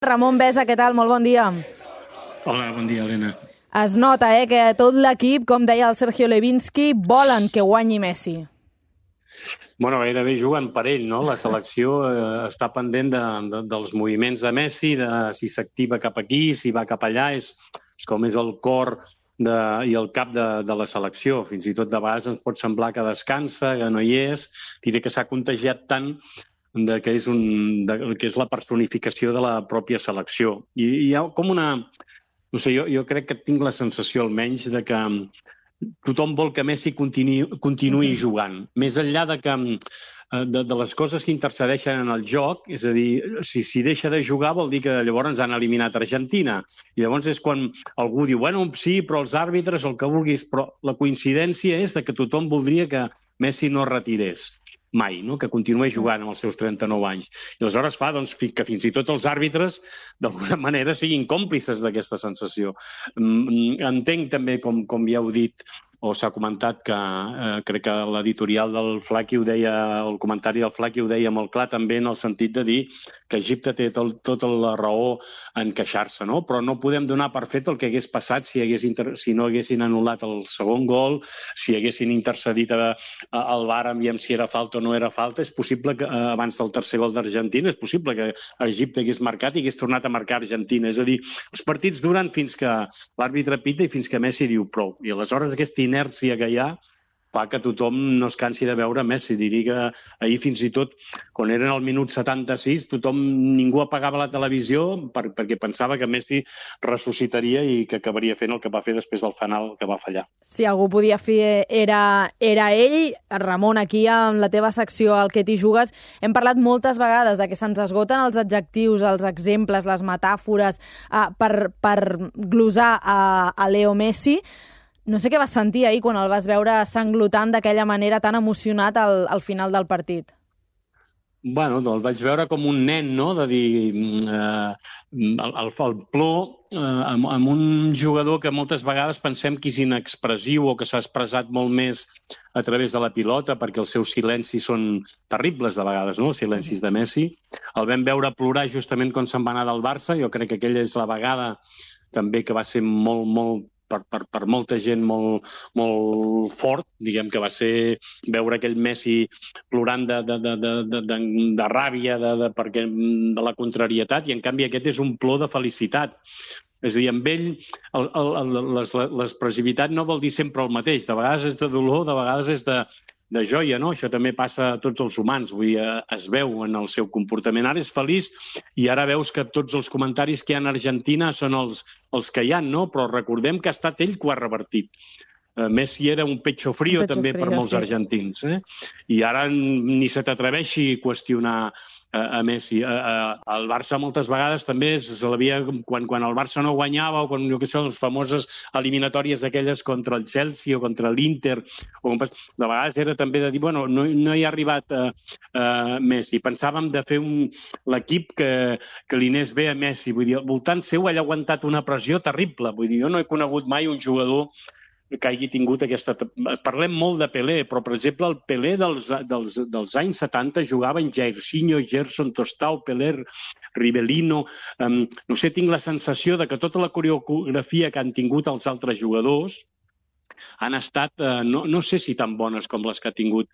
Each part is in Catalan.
Ramon Besa, què tal? Molt bon dia. Hola, bon dia, Helena. Es nota, que tot l'equip, com deia el Sergio Levinsky, volen que guanyi Messi. Bueno, gairebé juguen per ell, no? La selecció està pendent dels moviments de Messi, de si s'activa cap aquí, si va cap allà, és com és el cor i el cap de la selecció. Fins i tot de vegades ens pot semblar que descansa, que no hi és. Diré que s'ha contagiat tant que és la personificació de la pròpia selecció. I hi ha com una... No sé, jo crec que tinc la sensació almenys de que tothom vol que Messi continuï jugant. Més enllà de les coses que intercedeixen en el joc, és a dir, si deixa de jugar vol dir que llavors ens han eliminat Argentina. I llavors és quan algú diu, bueno, sí, però els àrbitres, el que vulguis, però la coincidència és que tothom voldria que Messi no retirés mai, no? Que continuï jugant amb els seus 39 anys. I aleshores fa que fins i tot els àrbitres d'alguna manera siguin còmplices d'aquesta sensació. Entenc també, com ja heu dit, o s'ha comentat, que crec que l'editorial del Flaqui ho deia, el comentari del Flaqui ho deia molt clar també en el sentit de dir que Egipte té tota la raó en queixar-se, no? Però no podem donar per fet el que hagués passat si no haguessin anul·lat el segon gol, si haguessin intercedit al VAR aviam si era falta o no era falta. És possible que abans del tercer gol d'Argentina, és possible que Egipte hagués marcat i hagués tornat a marcar Argentina. És a dir, els partits duren fins que l'àrbitre pita i fins que Messi diu prou. I aleshores aquesta inèrcia que hi ha fa que tothom no es cansi de veure Messi. Diria que ahir fins i tot, quan eren al minut 76, ningú apagava la televisió perquè pensava que Messi ressuscitaria i que acabaria fent el que va fer després del final que va fallar. Si algú podia fer era ell. Ramon, aquí amb la teva secció al que t'hi jugues, hem parlat moltes vegades de que se'ns esgoten els adjectius, els exemples, les metàfores per glosar a Leo Messi. No sé què vas sentir ahir quan el vas veure sanglotant d'aquella manera tan emocionat al final del partit. Bueno, el vaig veure com un nen, no?, de dir el plor amb un jugador que moltes vegades pensem que és inexpressiu o que s'ha expressat molt més a través de la pilota, perquè els seus silencis són terribles de vegades, no?, els silencis de Messi. El vam veure plorar justament quan se'n va anar del Barça. Jo crec que aquella és la vegada també que va ser molt per molta gent molt fort, diguem que va ser veure aquell Messi plorant de ràbia, de la contrarietat, i en canvi aquest és un plor de felicitat. És a dir, amb ell l'expressivitat no vol dir sempre el mateix. De vegades és de dolor, de vegades és de joia, no? Això també passa a tots els humans, vull dir, es veu en el seu comportament. Ara és feliç i ara veus que tots els comentaris que hi ha a Argentina són els que hi ha, no? Però recordem que ha estat ell que ho ha revertit. Messi era un pecho frío també per molts argentins. I ara ni se t'atreveixi a qüestionar a Messi. El Barça moltes vegades també quan el Barça no guanyava, o quan, jo què sé, les famoses eliminatòries aquelles contra el Chelsea o contra l'Inter, de vegades era també de dir, bueno, no hi ha arribat Messi. Pensàvem de fer l'equip que li anés bé a Messi. Vull dir, al voltant seu ell ha aguantat una pressió terrible. Vull dir, jo no he conegut mai un jugador que hagi tingut aquesta... Parlem molt de Pelé, però, per exemple, el Pelé dels anys 70 jugava en Jairzinho, Gerson, Tostao, Pelé, Rivellino... No sé, tinc la sensació de que tota la coreografia que han tingut els altres jugadors han estat, no sé si tan bones com les que ha tingut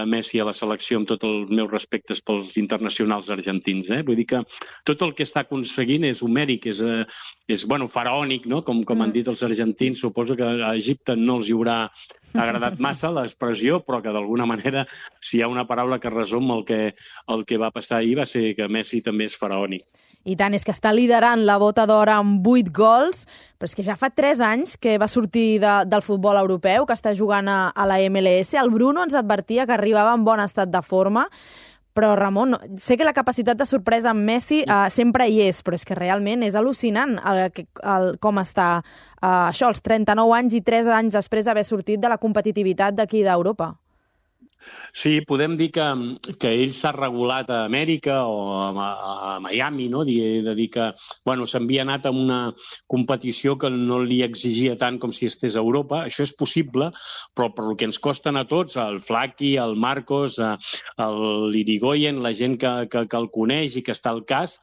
Messi a la selecció, amb tots els meus respectes pels internacionals argentins. Vull dir que tot el que està aconseguint és homèric, és faraònic, no? Com han dit els argentins. Suposo que a Egipte no els hi haurà agradat massa l'expressió, però que d'alguna manera, si hi ha una paraula que resum el que va passar ahir, va ser que Messi també és faraònic. I tant, és que està liderant la bota d'or amb 8 gols, però és que ja fa 3 anys que va sortir del futbol europeu, que està jugant a la MLS. El Bruno ens advertia que arribava en bon estat de forma, però Ramon, sé que la capacitat de sorpresa amb Messi sempre hi és, però és que realment és al·lucinant com està això, als 39 anys i 3 anys després d'haver sortit de la competitivitat d'aquí d'Europa. Sí, podem dir que ell s'ha regulat a Amèrica o a Miami, no? De dir que s'havia anat a una competició que no li exigia tant com si estés a Europa. Això és possible, però per el que ens costen a tots, el Flaqui, el Marcos, l'Irigoyen, la gent que el coneix i que està al cas,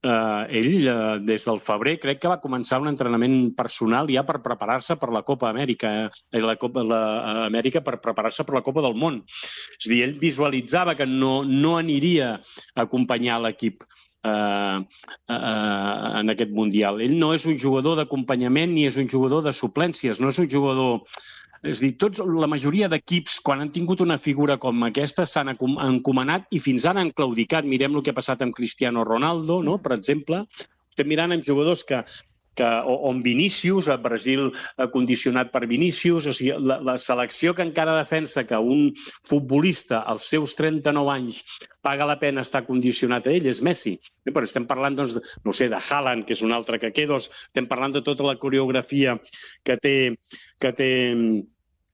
ell, des del febrer, crec que va començar un entrenament personal ja per preparar-se per la Copa Amèrica, Amèrica per preparar-se per la Copa del Món. És a dir, ell visualitzava que no aniria a acompanyar l'equip en aquest Mundial. Ell no és un jugador d'acompanyament ni és un jugador de suplències, no és un jugador... És a dir, la majoria d'equips, quan han tingut una figura com aquesta, s'han encomanat i fins ara han claudicat. Mirem el que ha passat amb Cristiano Ronaldo, no? Per exemple. Estem mirant amb jugadors o amb Vinícius, a Brasil condicionat per Vinícius. O sigui, la selecció que encara defensa que un futbolista als seus 39 anys paga la pena estar condicionat a ell és Messi. Però estem parlant, doncs, no sé, de Haaland, que és un altre que Quedos, estem parlant de tota la coreografia que té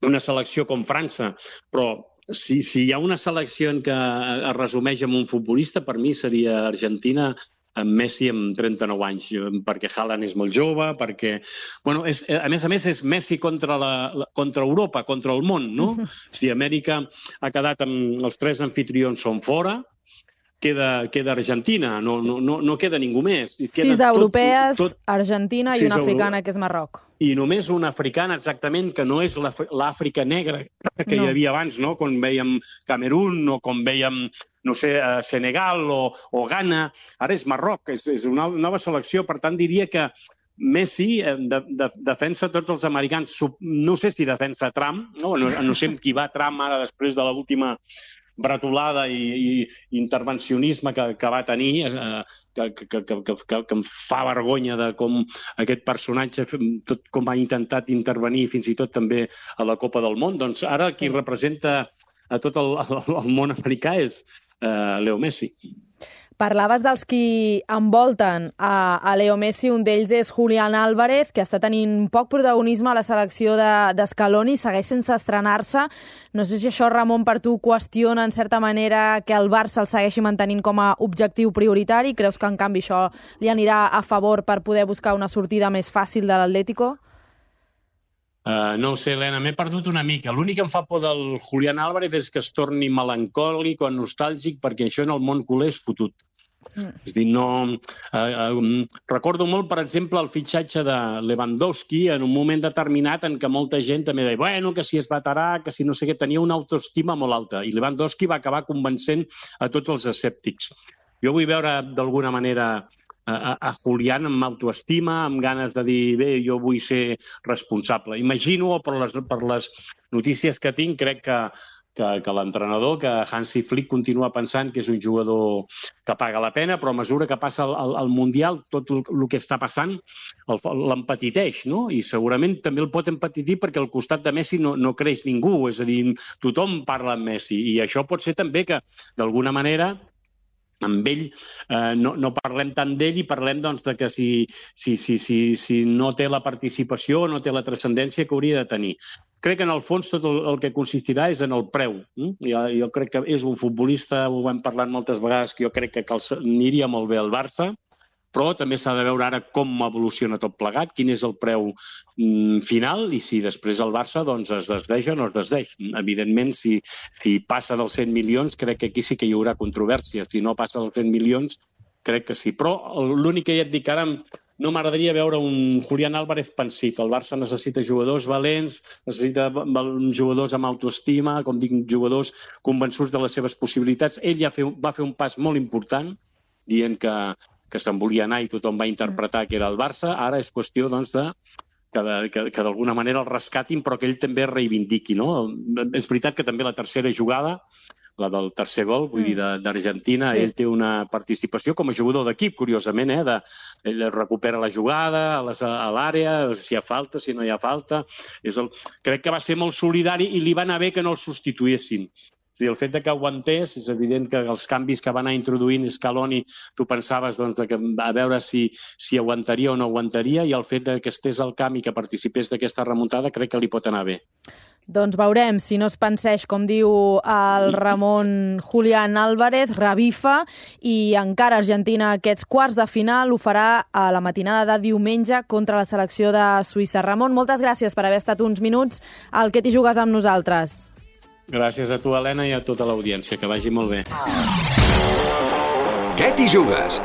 una selecció com França, però si hi ha una selecció en què es resumeix amb un futbolista, per mi seria Argentina amb Messi amb 39 anys, perquè Haaland és molt jove, perquè... Bueno, a més, és Messi contra Europa, contra el món, no? Si Amèrica ha quedat amb... Els 3 anfitrions són fora, queda Argentina, no queda ningú més. 6 europees, Argentina i una africana, que és Marroc. I només una africana, exactament, que no és l'Àfrica negra que hi havia abans, no? Com vèiem Camerún o com vèiem, no sé, Senegal o Ghana. Ara és Marroc, és una nova selecció. Per tant, diria que Messi defensa tots els americans. No sé si defensa Trump, no sé amb qui va Trump ara després de l'última bretolada i intervencionisme que va tenir, que em fa vergonya de com aquest personatge, tot com ha intentat intervenir fins i tot també a la Copa del Món. Doncs ara qui representa a tot el món americà és Leo Messi. Parlaves dels qui envolten a Leo Messi, un d'ells és Julián Álvarez, que està tenint poc protagonisme a la selecció d'Scaloni, segueix sense estrenar-se. No sé si això, Ramon, per tu qüestiona en certa manera que el Barça el segueixi mantenint com a objectiu prioritari? Creus que en canvi això li anirà a favor per poder buscar una sortida més fàcil de l'Atlético? No ho sé, Helena, m'he perdut una mica. L'únic que em fa por del Julián Álvarez és que es torni melancòlic o nostàlgic, perquè això en el món culer és fotut. És a dir, recordo molt, per exemple, el fitxatge de Lewandowski en un moment determinat en què molta gent també deia, bueno, que si és veterà, que si no sé què, tenia una autoestima molt alta, i Lewandowski va acabar convencent a tots els escèptics. Jo vull veure d'alguna manera a Julián amb autoestima, amb ganes de dir, bé, jo vull ser responsable. Imagino, per les notícies que tinc, crec que l'entrenador, que Hansi Flick continua pensant que és un jugador que paga la pena, però a mesura que passa el Mundial, tot el que està passant l'empetiteix, no? I segurament també el pot empetitir perquè al costat de Messi no creix ningú, és a dir, tothom parla amb Messi, i això pot ser també que, d'alguna manera, amb ell no parlem tant d'ell i parlem doncs, de que si no té la participació, no té la transcendència que hauria de tenir. Crec que en el fons tot el que consistirà és en el preu. Jo crec que és un futbolista, ho hem parlat moltes vegades, que jo crec que aniria molt bé al Barça, però també s'ha de veure ara com evoluciona tot plegat, quin és el preu final i si després el Barça doncs, es desdeix o no es desdeix. Evidentment, si passa dels 100 milions, crec que aquí sí que hi haurà controvèrsia. Si no passa dels 100 milions, crec que sí. Però l'únic que ja et dic ara, no m'agradaria veure un Julián Álvarez pensit. El Barça necessita jugadors valents, necessita jugadors amb autoestima, com dic, jugadors convençuts de les seves possibilitats. Ell ja va fer un pas molt important, dient que se'n volia anar i tothom va interpretar que era el Barça. Ara és qüestió doncs, que d'alguna manera el rescatin, però que ell també es reivindiqui. No? És veritat que també la tercera jugada, la del tercer gol, vull dir, d'Argentina, ell té una participació com a jugador d'equip, curiosament, ell recupera la jugada a l'àrea, si hi ha falta, si no hi ha falta. Crec que va ser molt solidari i li va anar bé que no el substituïssin. El fet que aguantés, és evident que els canvis que va anar introduint Scaloni, tu pensaves doncs, a veure si aguantaria o no aguantaria, i el fet que estés al camp i que participés d'aquesta remuntada crec que li pot anar bé. Doncs veurem si no es penseix, com diu el Ramon, Julián Álvarez, revifa, i encara Argentina aquests quarts de final ho farà a la matinada de diumenge contra la selecció de Suïssa. Ramon, moltes gràcies per haver estat uns minuts al Que t'hi jugues amb nosaltres. Gràcies a tu, Helena, i a tota l'audiència. Que vagi molt bé. Què t'hi jugues?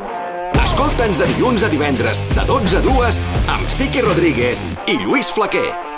Escolta'ns de dilluns a divendres, de 12 a 2, amb Siqui Rodríguez i Lluís Flaquer.